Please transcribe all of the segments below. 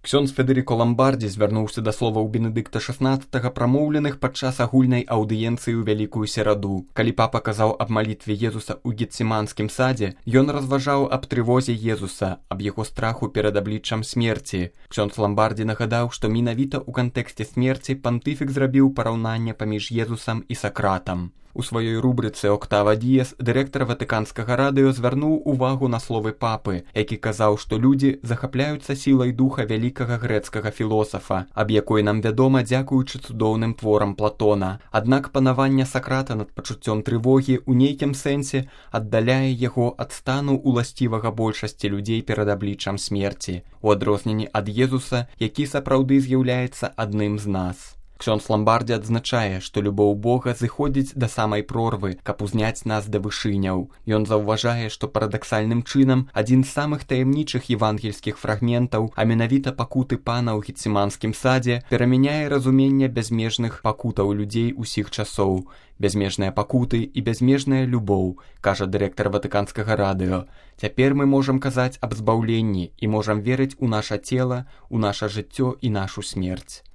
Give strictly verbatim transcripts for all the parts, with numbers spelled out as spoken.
Ксёндз Федэрыко Ламбардзі звярнуўся да словаў Бенедыкта шаснаццатага, прамоўленых падчас агульнай аўдыенцыі ў Вялікую Сераду. Калі папа казаў аб малітве Езуса ў Геціманскім садзе, ён разважаў аб трывозе Езуса, аб яго страху перад абліччам смерці. Ксёндз Ламбардзі нагадаў, што менавіта ў кантэксце смерці пантыфік зрабіў параўнанне паміж Езусам і Сакратам. У сваёй рубрыцы «Октава Діес» дырэктар Ватыканскага радыё звярнуў увагу на словы папы, які казаў, што людзі захапляюцца сілай духа вялікага грэцкага філосафа, аб якой нам вядома дзякуючы цудоўным творам Платона. Аднак панаванне Сакрата над пачуццём трывогі ў нейкім сэнсе аддаляе яго ад стану уласцівага большасці людзей перад абліччам смерці, у адрозненні ад Езуса, які сапраўды з'яўляецца адным з нас. Ксёндз Ламбардзі адзначае, што любоў Бога зыходзіць да самай прорвы, каб узняць нас да вышыняў. Ён заўважае, што парадаксальным чынам адзін з самых таямнічых евангельскіх фрагментаў, а менавіта пакуты пана ў Геціманскім садзе, перамяняе разуменне бязмежных пакутаў людзей усіх часоў. Бязмежныя пакуты і бязмежная любоў, кажа дырэктар Ватыканскага радыё. Цяпер мы можам казаць аб збаўленні і можам верыць у наша цела, у наша жыццё і нашу смерць.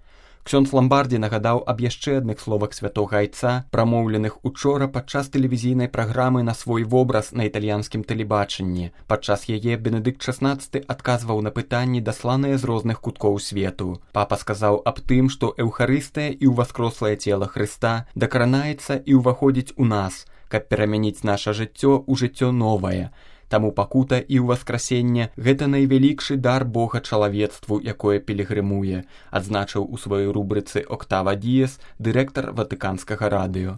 Ксёндз Ламбардзі нагадаў аб яшчэ адных словах святога айца, прамоўленых учора падчас тэлевізійнай праграмы на свой вобраз на італьянскім тэлебачанні. Падчас яе Бенедыкт шаснаццаты адказваў на пытанні, дасланыя з розных куткоў свету. Папа сказаў аб тым, што эўхарыстыя і ўваскрослае цела Хрыста дакранаецца і ўваходзіць у нас, каб перамяніць наша жыццё ў жыццё новае. Таму пакута і ўваскрасенне – гэта найвялікшы дар Бога чалавецтву, якое пілігрымуе, адзначыў у сваёй рубрыцы «Октава Діес» дырэктар Ватыканскага радыё.